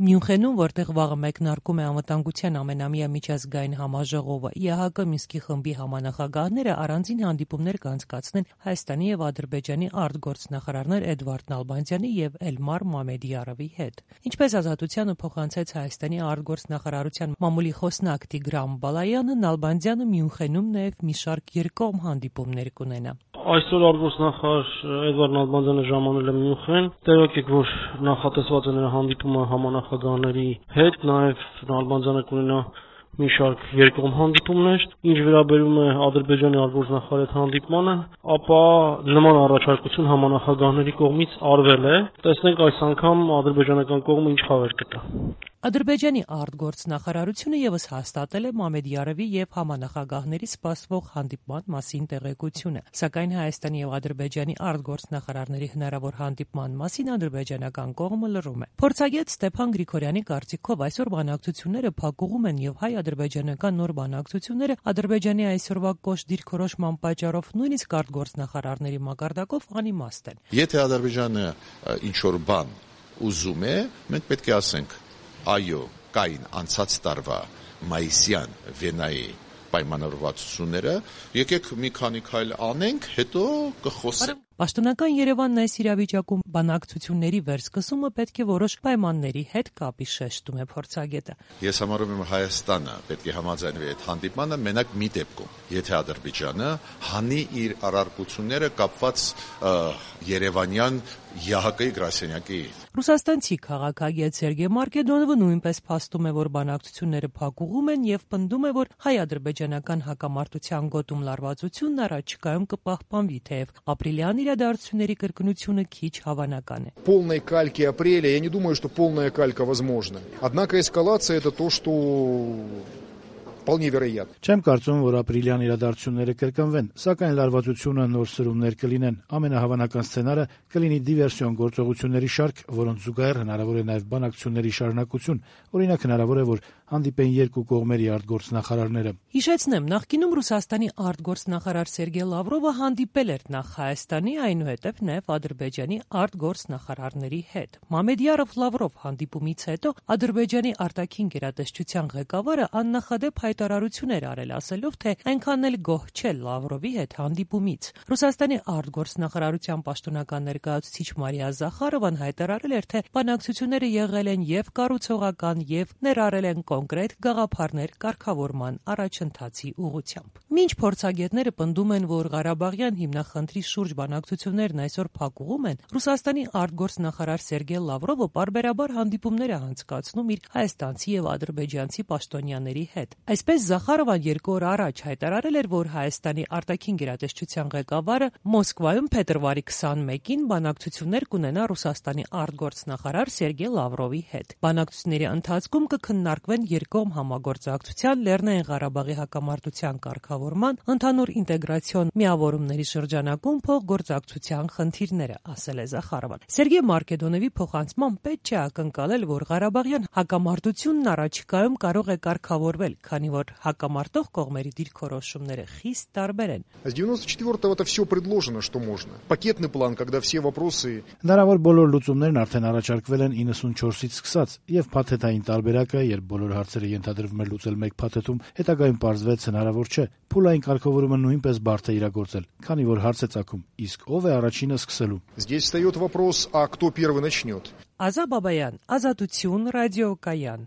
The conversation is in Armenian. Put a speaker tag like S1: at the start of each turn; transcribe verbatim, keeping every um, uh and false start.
S1: Մյունխենում, որտեղ վաղը մեկնարկում է անվտանգության ամենամյա միջազգային համաժողովը, ԵԱՀԿ Մինսկի խմբի համանախագահները առանձին հանդիպումներ կանցկացնեն Հայաստանի եւ Ադրբեջանի արտգործնախարարներ Էդվարդ Նալբանդյանի եւ Էլմար Մամեդիարովի հետ։ Ինչպես Ազատությանը փոխանցեց Հայաստանի արտգործնախարարության մամուլի խոսնակ Տիգրան Բալայանը, Նալբանդյանը Մյունխենում նաեւ մի շարք երկկողմ հանդիպումներ կունենա։
S2: Այսօր արտգործնախարար Էդվարդ Նալբանդյանը ժամանել է Մյունխեն, տեղյակ եք, որ նախատեսված է նրա հանդիպումը համանախագահների հետ, նաև Նալբանդյանը կունենա մի շարք երկկողմ հանդիպումներ, ինչ վերաբերում է Ադրբեջանի արտգործնախարարի հետ հանդիպմանը, ապա նման առաջարկություն համանախագահների կողմից արվել է, տեսնենք այս անգամ ադրբեջանական կողմը ինչ խաղեր կտա։
S1: Ադրբեջանի արտգործնախարարությունը եւս հաստատել է Մամեդիարովի եւ համանախագահների սպասվող հանդիպման մասին տեղեկությունը, սակայն Հայաստանի եւ Ադրբեջանի արտգործնախարարների հնարավոր հանդիպման մասին ադրբեջանական կողմը լռում է։ Փորձագետ Ստեփան Գրիգորյանի կարծիքով այսօր բանակցությունները փակուղում են եւ հայ-ադրբեջանական նոր բանակցությունները Ադրբեջանի այսօրվա կոշտ դիրքորոշման պատճառով նույնիսկ արտգործնախարարների մակարդակով անիմաստ են։
S3: Եթե Ադրբեջանը ինչ որ բան ուզում է, մենք պետք է ասենք այո, կային անցած տարվա մայիսյան Վենայի պայմանավորվածությունները, եկեք մի քանի քայլ անենք, հետո կխոսենք։
S1: Պաշտոնական Երևանն այս իրավիճակում բանակցությունների վերսկսումը պետք է որոշ պայմանների հետ կապի, շեշտում է փորձագետը։
S3: Ես համարում եմ Հայաստանը պետք է համաձայնվի այդ հանդիպմանը մենակ մի դեպքում, եթե Ադրբեջանը հանի իր առարկությունները կապված երևանյան ԵԱՀԿ-ի գրասենյակի։
S1: Ռուսաստանցի քաղաքագետ Սերգեյ Մարկեդոնովը նույնպես փաստում է, որ բանակցությունները փակուղում են եւ պնդում է, որ հայ-ադրբեջանական հակամարտության գոտում լարվածությունն առաջիկայում կպահպանվի, թեև ապրիլյան իրադարձությունների կրկնությունը քիչ հավանական է։
S4: Полной кальки апреля, я не думаю, что полная калька возможна. Однако эскалация это то, что вполне вероятно.
S5: Չեմ կարծում, որ ապրիլյան իրադարձությունները կրկնվեն, սակայն լարվածությունը նոր սրումներ կլինեն։ Ամենահավանական սցենարը կլինի դիվերսիոն գործողությունների շարք, որոնց զուգահեռ հնարավոր է նաև բանակցությունների շարունակություն։ Օրինակ հնարավոր է, որ հանդիպեն երկու կողմերի արտգործնախարարները։
S1: Հիշեցնեմ, նախկինում Ռուսաստանի արտգործնախարար Սերգեյ Լավրովը հանդիպել էր նախ Հայաստանի, այնուհետև նաև Ադրբեջանի արտգործնախարարների հետ։ Մամեդիարով-Լավրով հանդիպումից հետո Ադրբեջանի արտաքին գերատեսչության ղեկավարը աննախադեպ հայտարարություն էր արել, ասելով, թե այնքան էլ գոհ չէ Լավրովի հետ հանդիպումից։ Ռուսաստանի արտգործնախարարության պաշտոնական ներկայացուցիչ Մարիա Զախարովան հայտարարել էր, թե բանակցությունները եղել են եւ կառուցողական եւ ներառել են կոնկրետ գաղափարներ կարգավորման առաջընթացի ուղղությամբ։ Մինչ փորձագետները պնդում են, որ Ղարաբաղյան հիմնախնդրի շուրջ բանակցություններն այսօր փակուղում են, Ռուսաստանի արտգործնախարար Սերգեյ Լավրովը պարբերաբար հանդիպումներ է անցկացնում իր հայաստանցի եւ ադրբեջանցի պաշտոնյաների հետ։ Այսպես Զախարովան երկու օր առաջ հայտարարել էր, որ Հայաստանի արտաքին գերատեսչության ղեկավարը Մոսկվայում փետրվարի քսանմեկին բանակցություններ կունենա Ռուսաստանի արտգործնախարար Սերգեյ Լավրովի հետ։ Բանակցությունների ընթացքում կքննարկվեն երկկողմ համագործակցության, Լեռնային Ղարաբաղի հակամարտության կարգավորման, ընդհանուր ինտեգրացիոն միավորումների շրջանակում փոխգործակցության խնդիրները, ասել է Զախարովան։ Սերգեյ Մարկեդոնովի փոխանցմամբ պետք չէ ակնկալել, որ Ղարաբաղյան հակամարտությունն առաջիկայում կարող է կարգավորվել, քանի որ հակամարտող կողմերի դիրքորոշումները խիստ տարբեր են։
S4: С девяносто четвёртого это все предложено, что можно. Пакетный план, когда все вопросы.
S5: Հնարավոր բոլոր լուծումներն արդեն առաջարկվել են իննսունչորսից սկսած, եւ փաթեթային տարբերակը, երբ բոլոր հարցերը ենթադրվում էր լուծել մեկ փաթեթում, հետագայում պարզվեց հնարավոր չէ։ Փուլային կարգավորումը նույնպես բարդ է իրագործել, քանի որ հարց է ծագում, իսկ ով է առաջինը սկսելու։
S4: Здесь встает вопрос, а кто первый начнет?
S1: Ազա Բաբայան, Ազատություն, ռադիոկայան։